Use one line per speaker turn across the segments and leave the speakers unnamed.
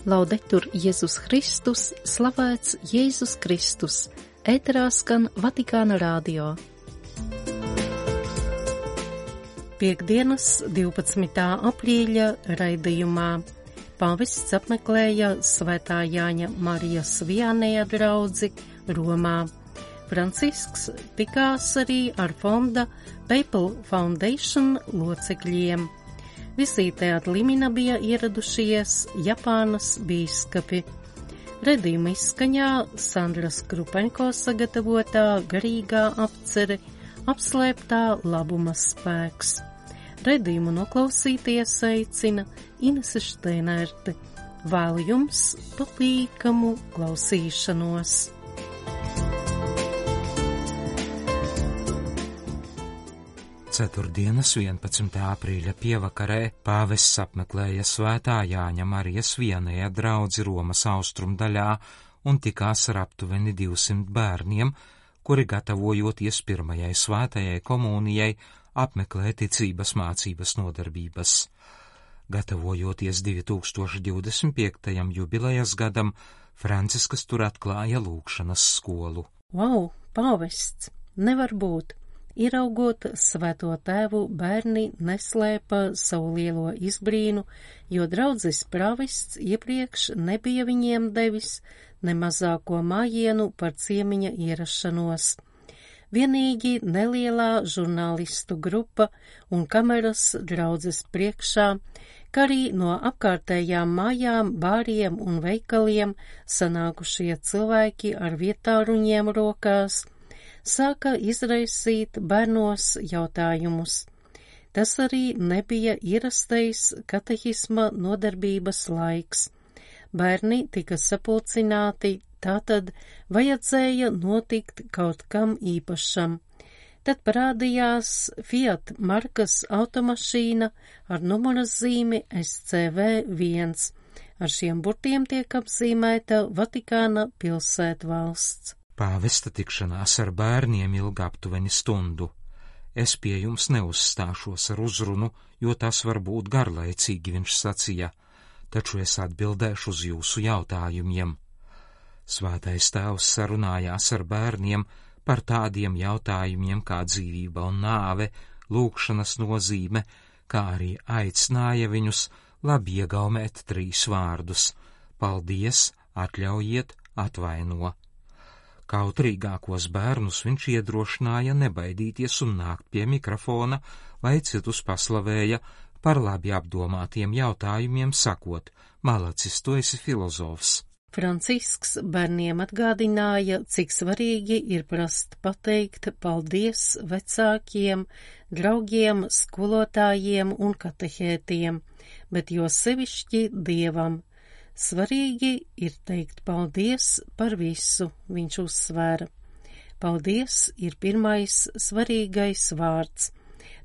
Laudetur Jēzus Kristus, slavēts Jēzus Kristus, ēterā skan Vatikāna radio. Piektdienas 12. aprīļa raidījumā pāvests apmeklēja Svētā Jāņa Marijas Viannēja draudzi Romā. Francisks tikās arī ar fonda Papal Foundation locekļiem. Vizītē ad limina bija ieradušies Japānas bīskapi. Redījuma izskaņā Sandras Krupeņko sagatavotā garīgā apcere Apslēptā labuma spēks. Redījumu noklausīties aicina Inese Šteinerte. Vēlu jums patīkamu klausīšanos.
Ceturtdienas 11. aprīļa pievakarē pāvests apmeklēja Svētā Jāņa Marijas Viannēja draudzi Romas austrumdaļā un tikās ar aptuveni 200 bērniem, kuri gatavojoties pirmajai svētajai komunijai apmeklē ticības mācības nodarbības. Gatavojoties 2025. jubilejas gadam, Franciskas tur atklāja lūgšanas skolu.
Vau, pāvests, nevar būt! Ieraugot Svēto Tēvu, bērni neslēpa savu lielo izbrīnu, jo draudzes pravists iepriekš nebija viņiem devis ne mazāko mājienu par ciemiņa ierašanos. Vienīgi nelielā žurnālistu grupa un kameras draudzes priekšā, kā arī no apkārtējām mājām, bāriem un veikaliem sanākušie cilvēki ar vietāruņiem rokās, sāka izraisīt bērnos jautājumus. Tas arī nebija ierastais katehisma nodarbības laiks. Bērni tika sapulcināti, tātad vajadzēja notikt kaut kam īpašam. Tad parādījās Fiat markas automašīna ar numura zīmi SCV1. Ar šiem burtiem tiek apzīmēta Vatikāna pilsētvalsts.
Pāvesta tikšanās ar bērniem ilga aptuveni stundu. Es pie jums neuzstāšos ar uzrunu, jo tas var būt garlaicīgi, viņš sacīja, taču es atbildēšu uz jūsu jautājumiem. Svētais Tēvs sarunājās ar bērniem par tādiem jautājumiem kā dzīvība un nāve, lūgšanas nozīme, kā arī aicināja viņus labi iegaumēt 3 vārdus – paldies, atļaujiet, atvaino. Kautrīgākos bērnus viņš iedrošināja nebaidīties un nākt pie mikrofona, lai citus paslavēja par labi apdomātiem jautājumiem, sakot, malacis, tu esi filozofs.
Francisks bērniem atgādināja, cik svarīgi ir prast pateikt paldies vecākiem, draugiem, skolotājiem un katehētiem, bet jo sevišķi Dievam. Svarīgi ir teikt paldies par visu, viņš uzsvēra. Paldies ir pirmais svarīgais vārds,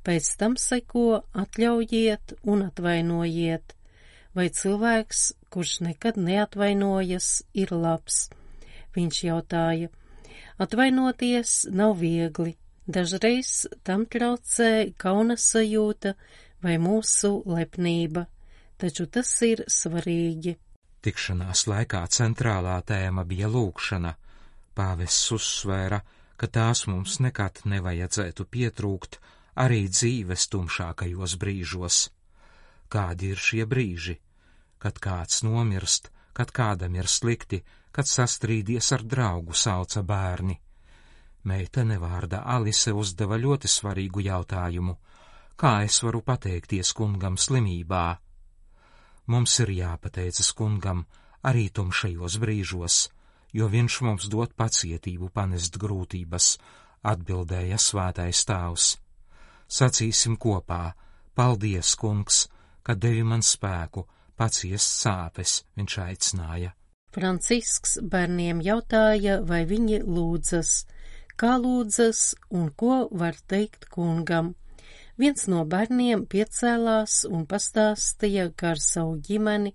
pēc tam seko atļaujiet un atvainojiet. Vai cilvēks, kurš nekad neatvainojas, ir labs? Viņš jautāja. Atvainoties nav viegli, dažreiz tam traucē kauna sajūta vai mūsu lepnība, taču tas ir svarīgi.
Tikšanās laikā centrālā tēma bija lūgšana. Pāvests uzsvēra, ka tās mums nekad nevajadzētu pietrūkt arī dzīves tumšākajos brīžos. Kādi ir šie brīži? Kad kāds nomirst, kad kādam ir slikti, kad sastrīdies ar draugu, sauca bērni. Meitene vārdā Alise uzdeva ļoti svarīgu jautājumu. Kā es varu pateikties kungam slimībā? Mums ir jāpateicas kungam arī tumšajos brīžos, jo viņš mums dod pacietību panest grūtības, atbildēja Svētais Tēvs. Sacīsim kopā, paldies, kungs, ka devi man spēku, paciest sāpes, viņš aicināja.
Francisks bērniem jautāja, vai viņi lūdzas, kā lūdzas un ko var teikt kungam. Viens no bērniem piecēlās un pastāstīja, ka ar savu ģimeni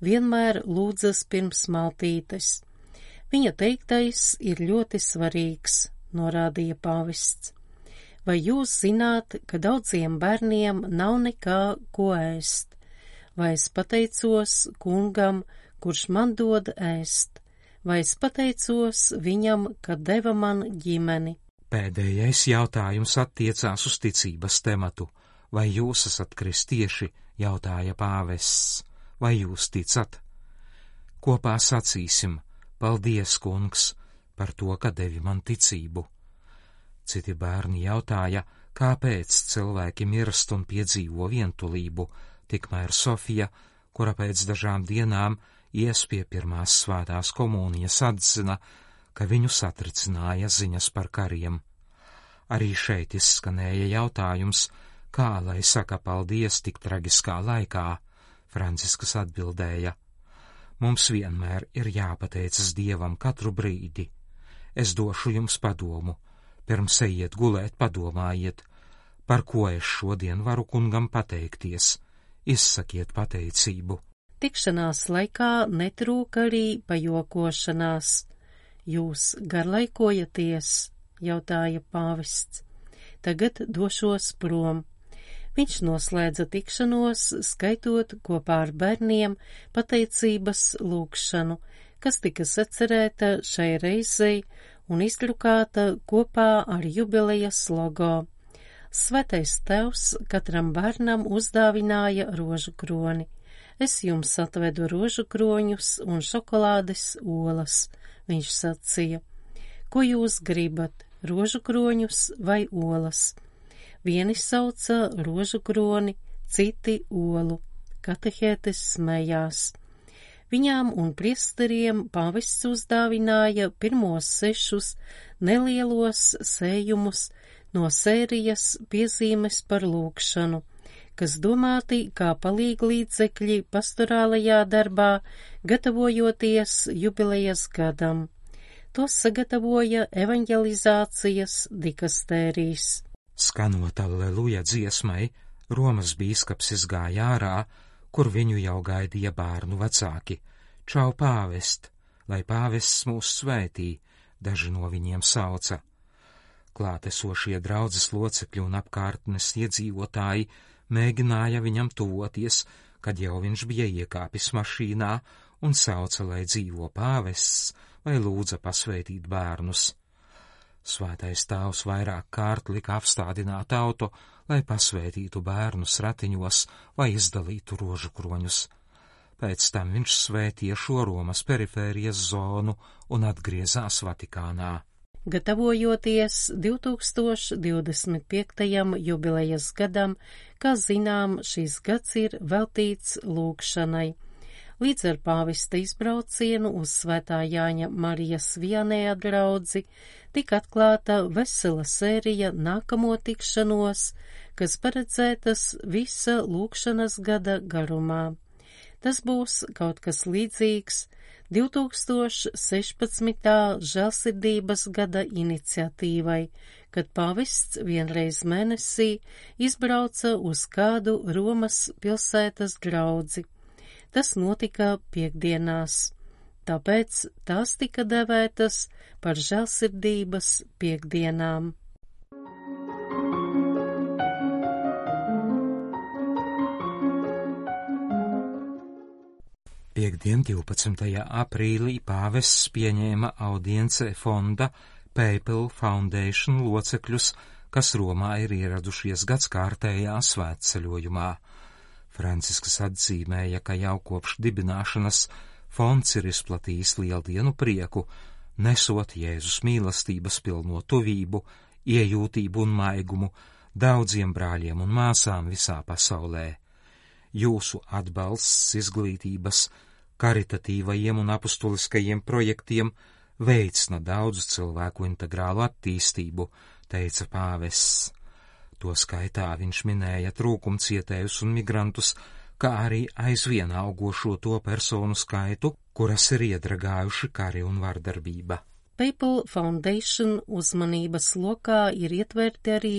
vienmēr lūdzas pirms maltītes. Viņa teiktais ir ļoti svarīgs, norādīja pāvests. Vai jūs zināt, ka daudziem bērniem nav nekā, ko ēst? Vai es pateicos kungam, kurš man dod ēst, vai es pateicos viņam, ka deva man ģimeni.
Pēdējais jautājums attiecās uz ticības tematu. Vai jūs esat kristieši, jautāja pāvests, vai jūs ticat? Kopā sacīsim, paldies, kungs, par to, ka devi man ticību. Citi bērni jautāja, kāpēc cilvēki mirst un piedzīvo vientulību, tikmēr Sofija, kura pēc dažām dienām ies pie pirmās svētās komunijas, atzina, ka viņu satricināja ziņas par kariem. Arī šeit izskanēja jautājums, kā lai saka paldies tik traģiskā laikā. Francisks atbildēja, mums vienmēr ir jāpateicas Dievam katru brīdi. Es došu jums padomu, pirms ejiet gulēt padomājiet, par ko es šodien varu kungam pateikties, izsakiet pateicību.
Tikšanās laikā netrūka arī pajokošanās. Jūs garlaikojaties, jautāja pāvests. Tagad došos prom. Viņš noslēdza tikšanos, skaitot kopā ar bērniem pateicības lūgšanu, kas tika sacerēta šai reizei un izdrukāta kopā ar jubilejas logo. Svētais Tēvs katram bērnam uzdāvināja rožu kroni. Es jums atvedu rožu kroņus un šokolādes olas, viņš sacīja. Ko jūs gribat, rožu kroņus vai olas? Vieni sauca rožu kroni, citi olu. Katehētes smējās. Viņām un priesteriem pāvests uzdāvināja pirmos 6 nelielos sējumus no sērijas piezīmes par lūgšanu, kas domāti kā palīglīdzekļi pastorālajā darbā, gatavojoties jubilejas gadam. Tos sagatavoja evanģelizācijas dikastērijas.
Skanot Alleluja dziesmai, Romas bīskaps izgāja ārā, kur viņu jau gaidīja bērnu vecāki. Čau pāvest, lai pāvests mūs svētī, daži no viņiem sauca. Klātesošie draudzes locekļi un apkārtnes iedzīvotāji mēģināja viņam tuvoties, kad jau viņš bija iekāpis mašīnā un sauca, lai dzīvo pāvests vai lūdza pasvētīt bērnus. Svētais Tēvs vairāk kārt lika apstādināt auto, lai pasvētītu bērnus ratiņos vai izdalītu rožu kroņus. Pēc tam viņš svētīja šo Romas perifērijas zonu un atgriezās Vatikānā.
Gatavojoties 2025. jubilejas gadam, kā zinām, šis gads ir veltīts lūgšanai. Līdz ar pāvesta izbraucienu uz Svētā Jāņa Marijas Viannēja draudzi tika atklāta vesela sērija nākamo tikšanos, kas paredzētas visa lūgšanas gada garumā. Tas būs kaut kas līdzīgs 2016. žēlsirdības gada iniciatīvai, kad pāvests vienreiz mēnesī izbrauca uz kādu Romas pilsētas draudzi. Tas notika piektdienās, tāpēc tās tika devētas par žēlsirdības piektdienām.
Piektdien 12. aprīlī pāvests pieņēma audiencē fonda Papal Foundation locekļus, kas Romā ir ieradušies gadskārtējā svētceļojumā. Francisks atzīmēja, ka jau kopš dibināšanas fonds ir izplatījis lieldienu prieku, nesot Jēzus mīlestības pilno tuvību, iejūtību un maigumu daudziem brāļiem un māsām visā pasaulē. Jūsu atbalsts izglītības, karitatīvajiem un apustuliskajiem projektiem veicina daudzu cilvēku integrālu attīstību, teica pāvests. To skaitā viņš minēja trūkumcietējus un migrantus, kā arī aizvien augošo to personu skaitu, kuras ir iedragājuši kari un vardarbība.
Papal Foundation uzmanības lokā ir ietverti arī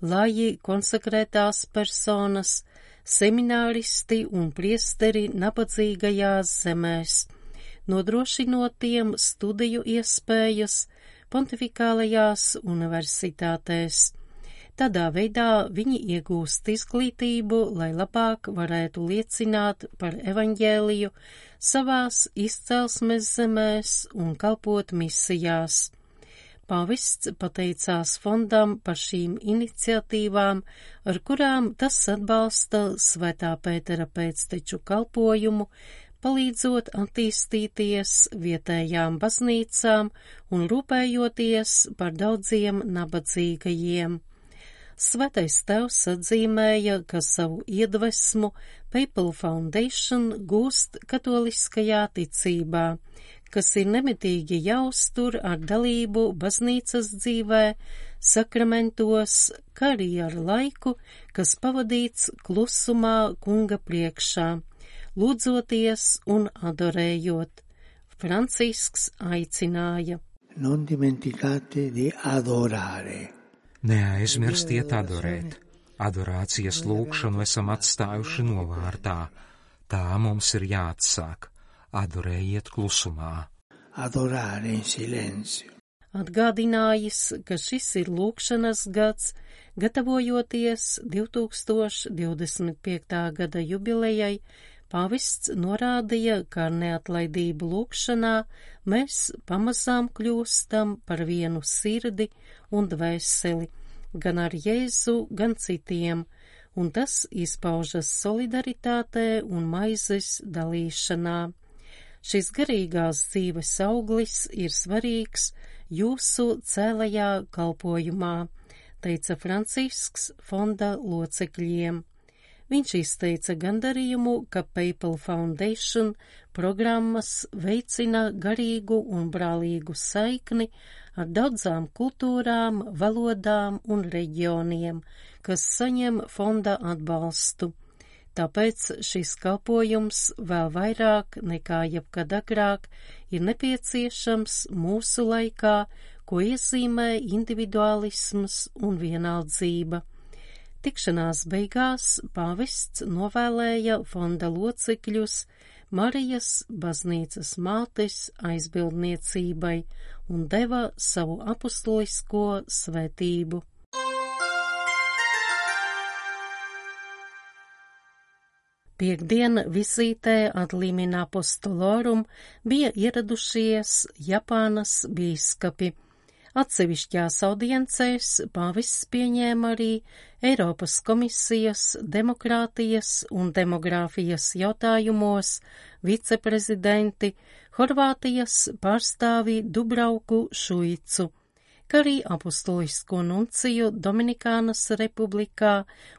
laji konsekrētās personas, semināristi un priesteri nabadzīgajās zemēs, nodrošinot tiem studiju iespējas pontifikālajās universitātēs. Tādā veidā viņi iegūst izglītību, lai labāk varētu liecināt par evaņģēliju savās izcelsmes zemēs un kalpot misijās. Pāvests pateicās fondam par šīm iniciatīvām, ar kurām tas atbalsta Svētā Pētera pēcteču kalpojumu, palīdzot attīstīties vietējām baznīcām un rūpējoties par daudziem nabadzīgajiem. Svētais Tēvs atzīmēja, ka savu iedvesmu Papal Foundation gūst katoliskajā ticībā, kas ir nemitīgi jāuztur ar dalību baznīcas dzīvē, sakramentos, kā arī ar laiku, kas pavadīts klusumā Kunga priekšā, lūdzoties un adorējot. Francisks aicināja:
Non dimenticate di adorare.
Neaizmirstiet adorēt. Adorācijas lūgšanu esam atstājuši novārtā. Tā mums ir jāatsāk. Adorējiet klusumā.
Adorare in silenzio.
Atgādinājis, ka šis ir lūgšanas gads, gatavojoties 2025. gada jubilejai, pāvests norādīja, ka ar neatlaidību lūgšanā mēs pamazām kļūstam par vienu sirdi un dvēseli, gan ar Jēzu, gan citiem, un tas izpaužas solidaritātē un maizes dalīšanā. Šis garīgās dzīves auglis ir svarīgs jūsu cēlajā kalpojumā, teica Francisks fonda locekļiem. Viņš izteica gandarījumu, ka Papal Foundation programmas veicina garīgu un brālīgu saikni ar daudzām kultūrām, valodām un reģioniem, kas saņem fonda atbalstu. Tāpēc šis kalpojums vēl vairāk nekā jebkad agrāk ir nepieciešams mūsu laikā, ko iezīmē individuālisms un vienaldzība. Tikšanās beigās pāvests novēlēja fonda locekļus Marijas baznīcas mātes aizbildniecībai un deva savu apustulisko svētību. Piektdien vizītē ad limina apostolorum bija ieradušies Japānas bīskapi. Atsevišķās audiencēs pāvests pieņēma arī Eiropas komisijas demokrātijas un demogrāfijas jautājumos viceprezidenti, Horvātijas pārstāvi Dubrauku Šuicu, kā arī apustulisko nunciju Dominikānas republikā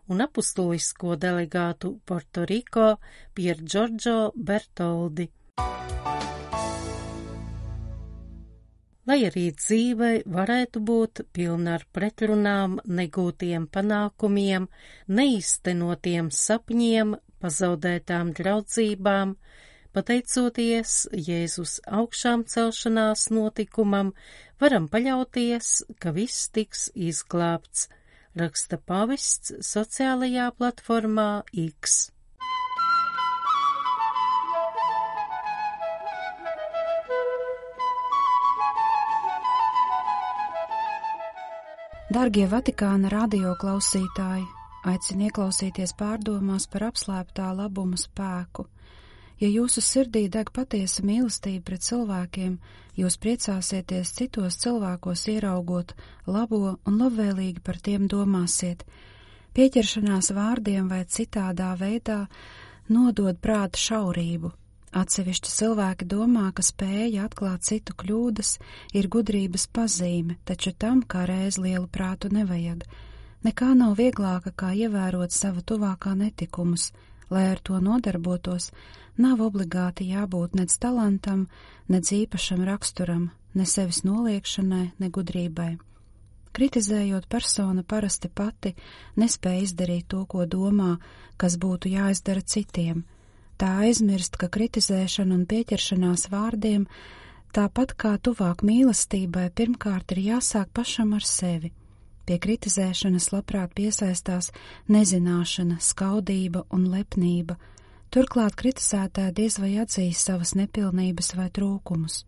un apustulisko delegātu Portoriko Pier Giorgio Bertoldi. Lai arī dzīve varētu būt pilna ar pretrunām, negūtiem panākumiem, neīstenotiem sapņiem, pazaudētām draudzībām, pateicoties Jēzus augšām celšanās notikumam, varam paļauties, ka viss tiks izglābts, raksta pāvests sociālajā platformā X.
Dargie Vatikāna radio klausītāji, aicinu ieklausīties pārdomās par apslēptā labuma spēku. Ja jūsu sirdī deg patiesa mīlestība pret cilvēkiem, jūs priecāsieties citos cilvēkos ieraugot labo un labvēlīgi par tiem domāsiet. Pieķeršanās vārdiem vai citādā veidā nodod prāta šaurību. Atsevišķi cilvēki domā, ka spēja atklāt citu kļūdas ir gudrības pazīme, taču tam kā reiz lielu prātu nevajag. Nekā nav vieglāka, kā ievērot sava tuvākā netikumus. Lai ar to nodarbotos, nav obligāti jābūt nec talantam, nec īpašam raksturam, ne sevis noliekšanai, ne gudrībai. Kritizējot, persona parasti pati nespēja izdarīt to, ko domā, kas būtu jāizdara citiem. Tā aizmirst, ka kritizēšana un pieķeršanās vārdiem, tāpat kā tuvāk mīlestībai, pirmkārt ir jāsāk pašam ar sevi. Pie kritizēšanas labprāt piesaistās nezināšana, skaudība un lepnība. Turklāt kritizētāji diez vai atzīs savas nepilnības vai trūkumus.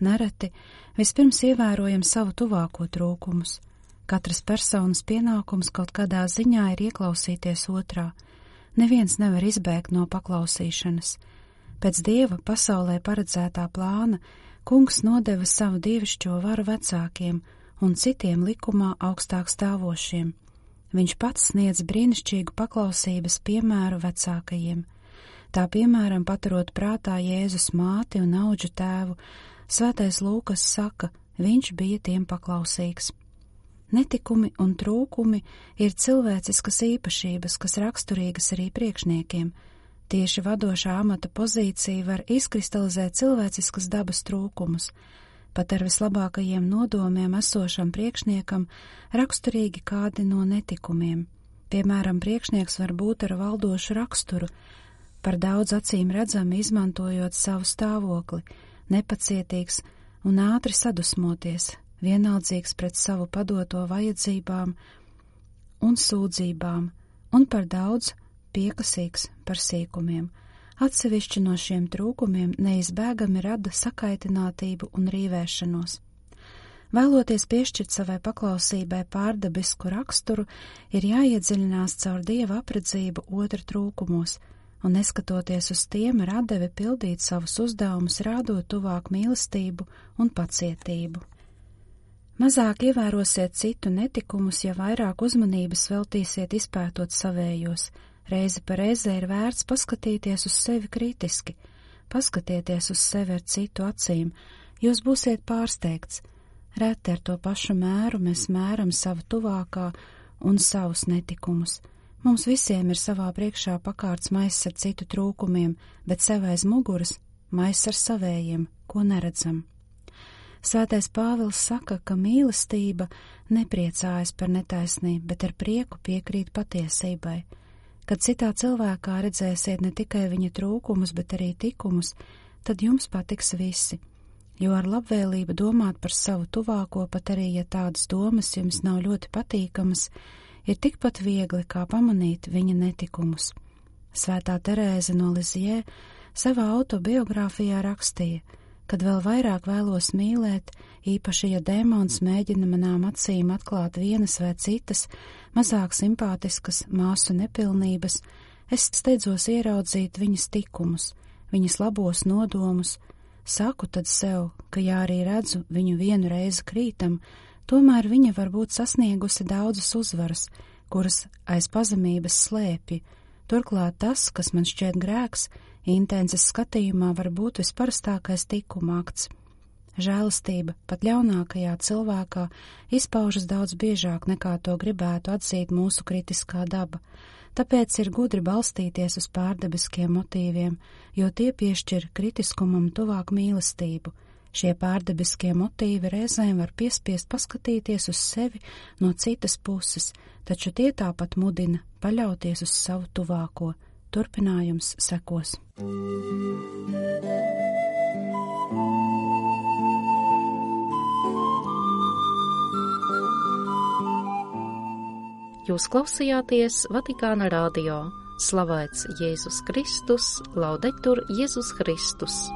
Nereti vispirms ievērojam savu tuvāko trūkumus. Katras personas pienākums kaut kādā ziņā ir ieklausīties otrā. Neviens nevar izbēgt no paklausīšanas. Pēc Dieva pasaulē paredzētā plāna Kungs nodeva savu dievišķo varu vecākiem un citiem likumā augstāk stāvošiem. Viņš pats sniedz brīnišķīgu paklausības piemēru vecākajiem. Tā piemēram, paturot prātā Jēzus māti un audžu tēvu, Svētais Lūkas saka, viņš bija tiem paklausīgs. Netikumi un trūkumi ir cilvēciskas īpašības, kas raksturīgas arī priekšniekiem. Tieši vadošā amata pozīcija var izkristalizēt cilvēciskas dabas trūkumus. Pat ar vislabākajiem nodomiem esošam priekšniekam raksturīgi kādi no netikumiem. Piemēram, priekšnieks var būt ar valdošu raksturu, par daudz acīm redzami izmantojot savu stāvokli, nepacietīgs un ātri sadusmoties, vienaldzīgs pret savu padoto vajadzībām un sūdzībām, un par daudz piekasīgs par sīkumiem. Atsevišķi no šiem trūkumiem neizbēgami rada sakaitinātību un rīvēšanos. Vēloties piešķirt savai paklausībai pārdabisku raksturu, ir jāiedziļinās caur Dieva apredzību otra trūkumos, un neskatoties uz tiem ar atdevi pildīt savus uzdevumus, rādot tuvāk mīlestību un pacietību. Mazāk ievērosiet citu netikumus, ja vairāk uzmanības veltīsiet izpētot savējos. Reizi pa reizē ir vērts paskatīties uz sevi kritiski, paskatieties uz sevi ar citu acīm, jūs būsiet pārsteigts. Reti ar to pašu mēru mēs mēram savu tuvākā un savus netikumus. Mums visiem ir savā priekšā pakārts maiss ar citu trūkumiem, bet sev aiz muguras maiss ar savējiem, ko neredzam. Svētais Pāvils saka, ka mīlestība nepriecājas par netaisnību, bet ar prieku piekrīt patiesībai. Kad citā cilvēkā redzēsiet ne tikai viņa trūkumus, bet arī tikumus, tad jums patiks visi, jo ar labvēlību domāt par savu tuvāko, pat arī, ja tādas domas jums nav ļoti patīkamas, ir tikpat viegli, kā pamanīt viņa netikumus. Svētā Terēze no Lizjē savā autobiogrāfijā rakstīja, kad vēl vairāk vēlos mīlēt, īpaši, ja dēmons mēģina manām acīm atklāt vienas vai citas, mazāk simpātiskas māsu nepilnības, es steidzos ieraudzīt viņas tikumus, viņas labos nodomus, saku tad sev, ka ja arī redzu viņu vienu reizi krītam, tomēr viņa var būt sasniegusi daudzas uzvaras, kuras aiz pazemības slēpj. Turklāt tas, kas man šķiet grēks, intences skatījumā var būt visparastākais tikuma akts. Žēlastība pat ļaunākajā cilvēkā izpaužas daudz biežāk nekā to gribētu atzīt mūsu kritiskā daba, tāpēc ir gudri balstīties uz pārdabiskiem motīviem, jo tie piešķir kritiskumam tuvāk mīlestību. Šie pārdabiskie motīvi reizēm var piespiest paskatīties uz sevi no citas puses, taču tie tāpat mudina paļauties uz savu tuvāko. Turpinājums sekos.
Jūs klausījāties Vatikāna radio. Slavēts Jēzus Kristus, laudetur Jēzus Kristus.